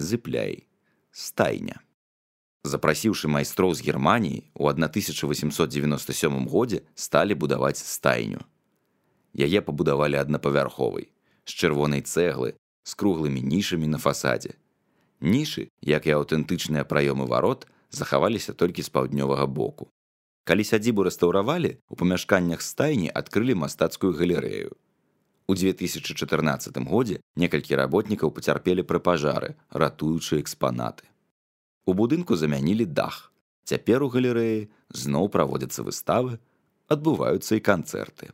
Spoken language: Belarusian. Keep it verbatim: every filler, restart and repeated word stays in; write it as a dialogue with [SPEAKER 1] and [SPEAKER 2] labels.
[SPEAKER 1] Зыпляй. Стайня. Запрасіўшы майстроў з Германіі, у тысяча восемьсот девяносто сёмым годзе сталі будаваць стайню. Яе пабудавалі аднапавярховай, з чырвонай цэглы, з круглымі нішамі на фасадзе. Нішы, як і аўтэнтычныя праёмы варот, захаваліся толькі з паўднёвага боку. Калі сядзібу рэстаўравалі, у памяшканнях стайні адкрылі мастацкую галерэю. У две тысячы чатырнаццатым годзе некалькі работнікаў пацярпелі пры пажары, ратуючы экспанаты. У будынку замянілі дах. Цяпер у галерэі зноў праводзяцца выставы, адбываюцца і канцэрты.